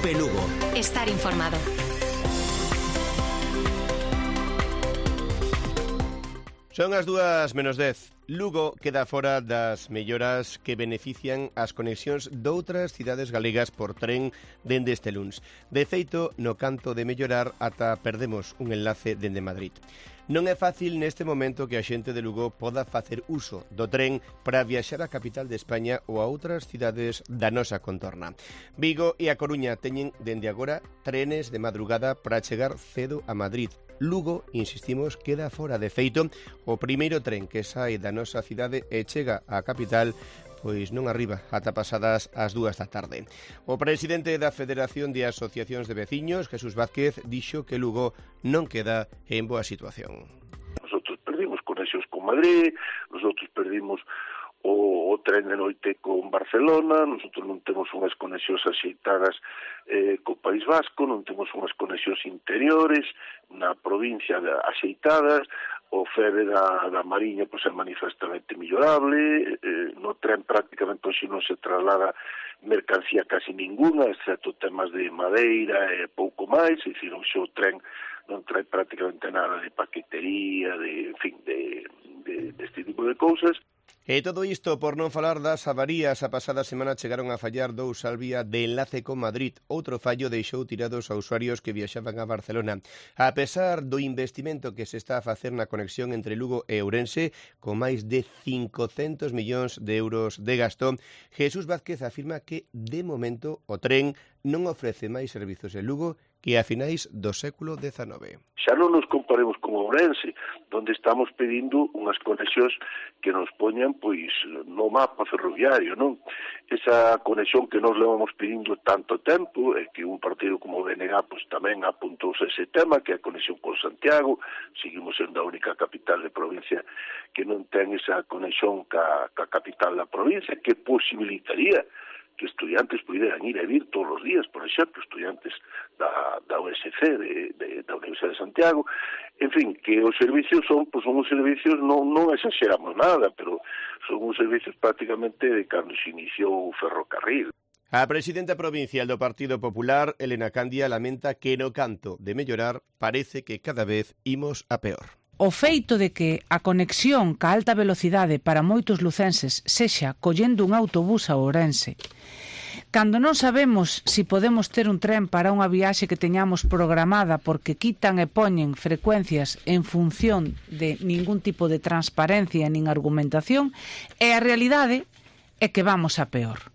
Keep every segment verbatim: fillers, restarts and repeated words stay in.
Cope Lugo. Estar informado. Son as dúas menos dez. Lugo queda fora das melloras que benefician as conexións doutras cidades galegas por tren dende este luns. De feito, no canto de mellorar, ata perdemos un enlace dende Madrid. Non é fácil neste momento que a xente de Lugo poda facer uso do tren para viaxar á capital de España ou a outras cidades da nosa contorna. Vigo e a Coruña teñen dende agora trenes de madrugada para chegar cedo a Madrid. Lugo, insistimos, queda fora. De feito, o primeiro tren que sae da nosa cidade e chega á capital pois non arriba ata pasadas as dúas da tarde. O presidente da Federación de Asociacións de Veciños, Jesús Vázquez, dixo que Lugo non queda en boa situación. Nosotros perdimos conexións con Madrid, nosotros perdimos o, o tren de noite con Barcelona, nosotros non temos unhas conexións axeitadas eh, co País Vasco, non temos unhas conexións interiores na provincia de, axeitadas, o F E B da, da Mariña pois, é manifestamente millorable, eh, no tren prácticamente hoxe non se traslada mercancía casi ninguna, excepto temas de madeira e pouco máis, é dicir, hoxe o tren non trae prácticamente nada de paquetería, de, en fin, de, de, de este tipo de cousas. E todo isto por non falar das avarías. A pasada semana chegaron a fallar dous Salvia de enlace con Madrid. Outro fallo deixou tirados a usuarios que viaxaban a Barcelona. A pesar do investimento que se está a facer na conexión entre Lugo e Ourense, con máis de cincocentos millóns de euros de gasto, Jesús Vázquez afirma que, de momento, o tren non ofrece máis servizos en Lugo que a finais do século dezanove. Xa non nos comparemos con Ourense, onde estamos pedindo unhas conexións que nos poñan pois no mapa ferroviario, non? Esa conexión que nos levamos pedindo tanto tempo, e que un partido como o B N G pois tamén apuntouse ese tema, que é a conexión con Santiago. Seguimos sendo a única capital de provincia que non ten esa conexión ca, ca capital da provincia, que posibilitaría que estudiantes puderan ir e vir todos os días, por exemplo, estudiantes da, da U S C, de, de, da Universidade de Santiago. En fin, que os servicios son, pues son os servicios, non, non exageramos nada, pero son os servicios prácticamente de cando se iniciou o ferrocarril. A presidenta provincial do Partido Popular, Elena Candia, lamenta que no canto de mellorar parece que cada vez imos a peor. O feito de que a conexión ca alta velocidade para moitos lucenses sexa collendo un autobús a Ourense, cando non sabemos si podemos ter un tren para unha viaxe que teñamos programada porque quitan e poñen frecuencias en función de ningún tipo de transparencia nin argumentación, e a realidade é que vamos a peor.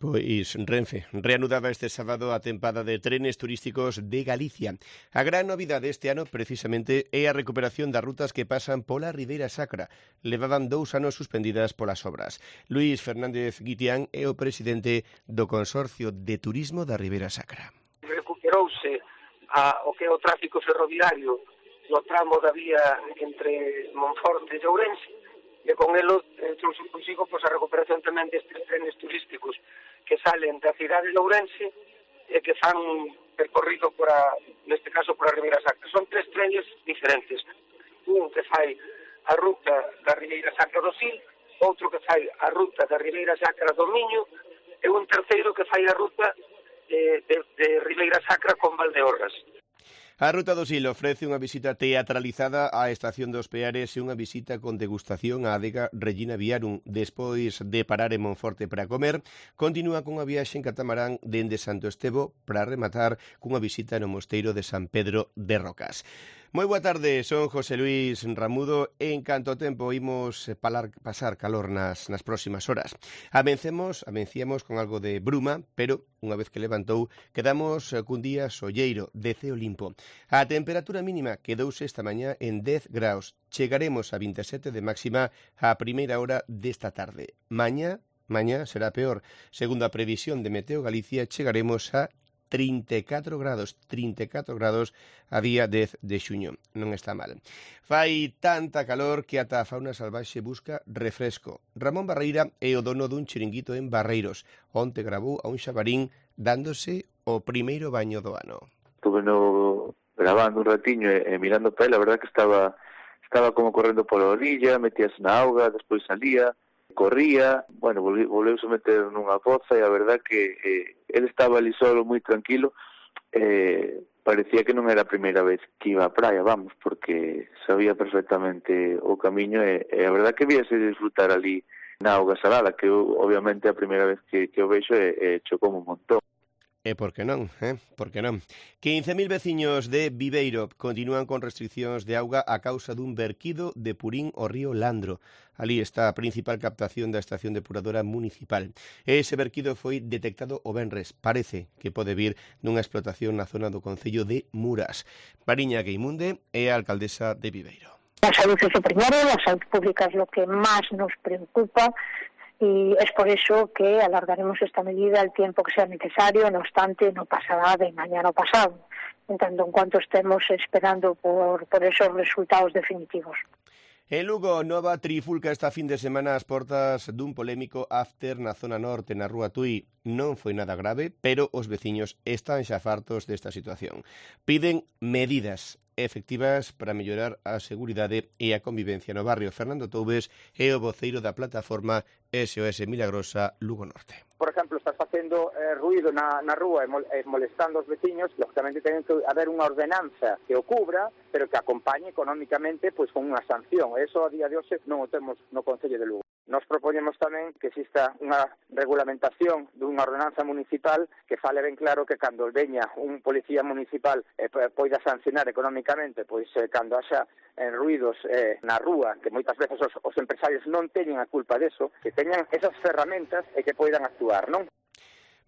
Pois Renfe reanudaba este sábado a tempada de trenes turísticos de Galicia. A gran novidade este ano, precisamente, é a recuperación das rutas que pasan pola Ribeira Sacra. Levaban dous anos suspendidas polas obras. Luís Fernández Guitián é o presidente do Consorcio de Turismo da Ribeira Sacra. Recuperouse a, o que é o tráfico ferroviario no tramo da vía entre Monforte e Ourense, e con elo eh, trouxe consigo pois, a recuperación tamén destes trenes turísticos que salen da cidade de Ourense e que fan un percorrido por a, neste caso por a Ribeira Sacra. Son tres trenes diferentes. Un que fai a ruta da Ribeira Sacra do Sil, outro que fai a ruta da Ribeira Sacra do Miño e un terceiro que fai a ruta eh, de, de Ribeira Sacra con Valdeorras. A Ruta do Sil ofrece unha visita teatralizada á Estación dos Peares e unha visita con degustación á adega Regina Viarum. Despois de parar en Monforte para comer, continúa cunha viaxe en catamarán dende Santo Estevo para rematar cunha visita no mosteiro de San Pedro de Rocas. Moi boa tarde, son José Luis Ramudo e en canto tempo imos palar, pasar calor nas, nas próximas horas. Avencemos, avenciamos con algo de bruma, pero unha vez que levantou, quedamos cun día solleiro, de ceo limpo. A temperatura mínima quedouse esta mañá en dez graus. Chegaremos a vinte e sete de máxima a primeira hora desta tarde. Mañá, mañá será peor. Segundo a previsión de Meteo Galicia, chegaremos a trinta e catro grados, trinta e catro grados a día dez de xuño. Non está mal. Fai tanta calor que ata a fauna salvaxe busca refresco. Ramón Barreira é o dono dun chiringuito en Barreiros. Onte gravou a un xabarín dándose o primeiro baño do ano. Estuve no, grabando un ratiño e, e mirando para él, a verdad que estaba estaba como correndo pola orilla, metíase na auga, despois salía, corría, bueno, volveuse a meter nunha poza e a verdad que eh, ele estaba ali solo moi tranquilo, eh, parecía que non era a primeira vez que iba á praia, vamos, porque sabía perfectamente o camiño e, e a verdad que víase disfrutar ali na auga salada, que eu, obviamente a primeira vez que, que o vexo e, e chocou un montón. E por que non, eh? Por que non? quince mil veciños de Viveiro continúan con restriccións de auga a causa dun verquido de purín ao río Landro. Ali está a principal captación da estación depuradora municipal. Ese verquido foi detectado o venres. Parece que pode vir dunha explotación na zona do concello de Muras. Mariña Gueimunde é a alcaldesa de Viveiro. La salud es lo primero, la salud pública es lo que más nos preocupa. Y es por eso que alargaremos esta medida el tiempo que sea necesario, no obstante, no pasará de mañana pasado, en tanto en cuanto estemos esperando por, por esos resultados definitivos. En Lugo, nova trifulca esta fin de semana ás portas dun polémico after na zona norte, na Rúa Tui. Non foi nada grave, pero os veciños están xa fartos desta situación. Piden medidas efectivas para mellorar a seguridade e a convivencia no barrio. Fernando Toubes é o voceiro da plataforma S O S Milagrosa Lugo Norte. Por exemplo, estás facendo eh, ruido na, na rúa e, mol, e molestando os veciños, lógicamente ten que haber unha ordenanza que o cubra, pero que acompañe económicamente pois con unha sanción. Eso a día de hoxe non o temos no Concello de Lugo. Nos propoñemos tamén que exista unha regulamentación dunha ordenanza municipal que fale ben claro que cando veña un policía municipal eh, poida sancionar económicamente, pois eh, cando haxa eh, ruidos eh, na rúa, que moitas veces os, os empresarios non teñen a culpa deso, que teñan esas ferramentas e que poidan actuar, non?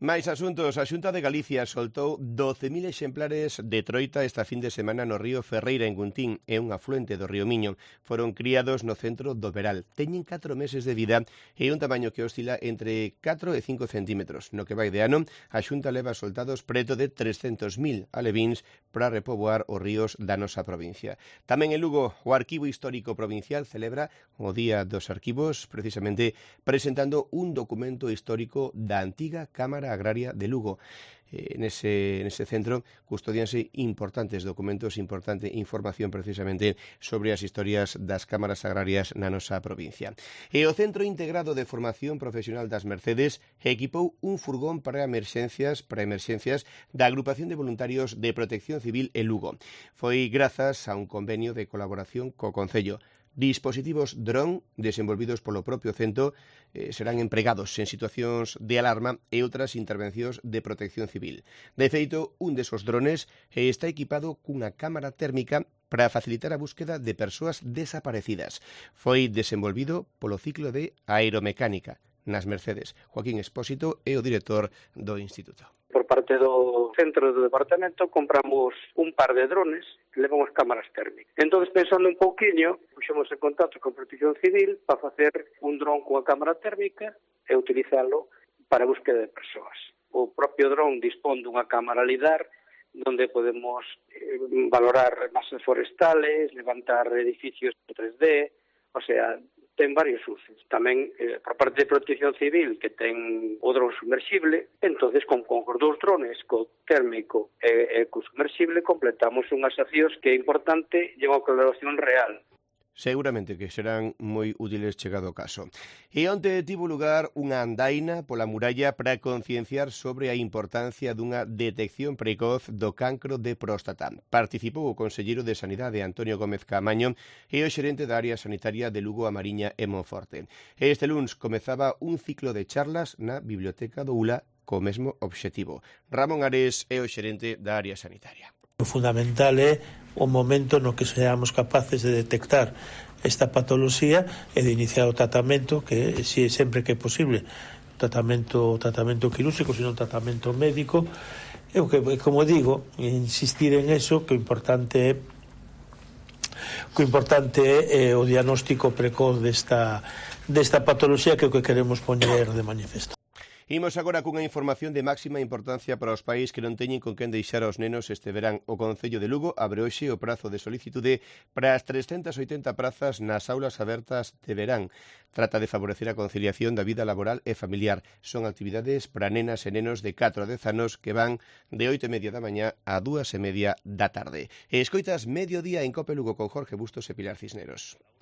Máis asuntos. A Xunta de Galicia soltou doce mil exemplares de troita esta fin de semana no río Ferreira en Guntín, é un afluente do río Miño. Foron criados no centro do Veral. Teñen catro meses de vida e un tamaño que oscila entre catro e cinco centímetros. No que vai de ano, a Xunta leva soltados preto de trescentos mil alevíns para repoboar os ríos da nosa provincia. Tamén en Lugo, o Arquivo Histórico Provincial celebra o Día dos Arquivos, precisamente presentando un documento histórico da antiga Cámara Agraria de Lugo. Eh, nese, nese centro custodianse importantes documentos, importante información precisamente sobre as historias das cámaras agrarias na nosa provincia. E o Centro Integrado de Formación Profesional das Mercedes equipou un furgón para emerxencias, para emerxencias da Agrupación de Voluntarios de Protección Civil en Lugo. Foi grazas a un convenio de colaboración co Concello. Dispositivos dron desenvolvidos polo propio centro eh, serán empregados en situacións de alarma e outras intervencións de protección civil. De feito, un desos drones eh, está equipado cunha cámara térmica para facilitar a búsqueda de persoas desaparecidas. Foi desenvolvido polo ciclo de aeromecánica nas Mercedes. Joaquín Expósito é o director do Instituto. Por parte do centro do departamento compramos un par de drones que levan as cámaras térmicas. Entón, pensando un pouquiño, puxemos en contacto con Protección Civil para facer un dron coa cámara térmica e utilizalo para a búsqueda de persoas. O propio dron dispón dunha cámara lidar donde podemos eh, valorar masas forestales, levantar edificios en tres D, o sea, ten varios usos. Tamén, eh, por parte de Protección Civil, que ten o dron sumersible, entonces con, con os dous drones, co térmico e, e co sumersible, completamos unhas accións que é importante e unha colaboración real. Seguramente que serán moi útiles chegado o caso. E onte tivo lugar unha andaina pola muralla para concienciar sobre a importancia dunha detección precoz do cancro de próstata. Participou o conselleiro de Sanidade Antonio Gómez Caamaño e o xerente da área sanitaria de Lugo, a Mariña e Monforte. Este luns comezaba un ciclo de charlas na Biblioteca do U L A co mesmo obxectivo. Ramón Ares é o xerente da área sanitaria. O fundamental é o momento no que seamos capaces de detectar esta patoloxía e de iniciar o tratamento, que si sempre que é posible, tratamento tratamento quirúrxico, sino tratamento médico. E o que, como digo, insistir en eso, que o importante é o importante é o diagnóstico precoz desta desta patoloxía, que é o que queremos poñer de manifesto. Imos agora cunha información de máxima importancia para os pais que non teñen con quen deixar aos nenos este verán. O Concello de Lugo abre hoxe o prazo de solicitude para as trescentas oitenta prazas nas aulas abertas de verán. Trata de favorecer a conciliación da vida laboral e familiar. Son actividades para nenas e nenos de catro a dez anos que van de oito e media da mañá a dúas e media da tarde. E escoitas Mediodía en Cope Lugo con Jorge Bustos e Pilar Cisneros.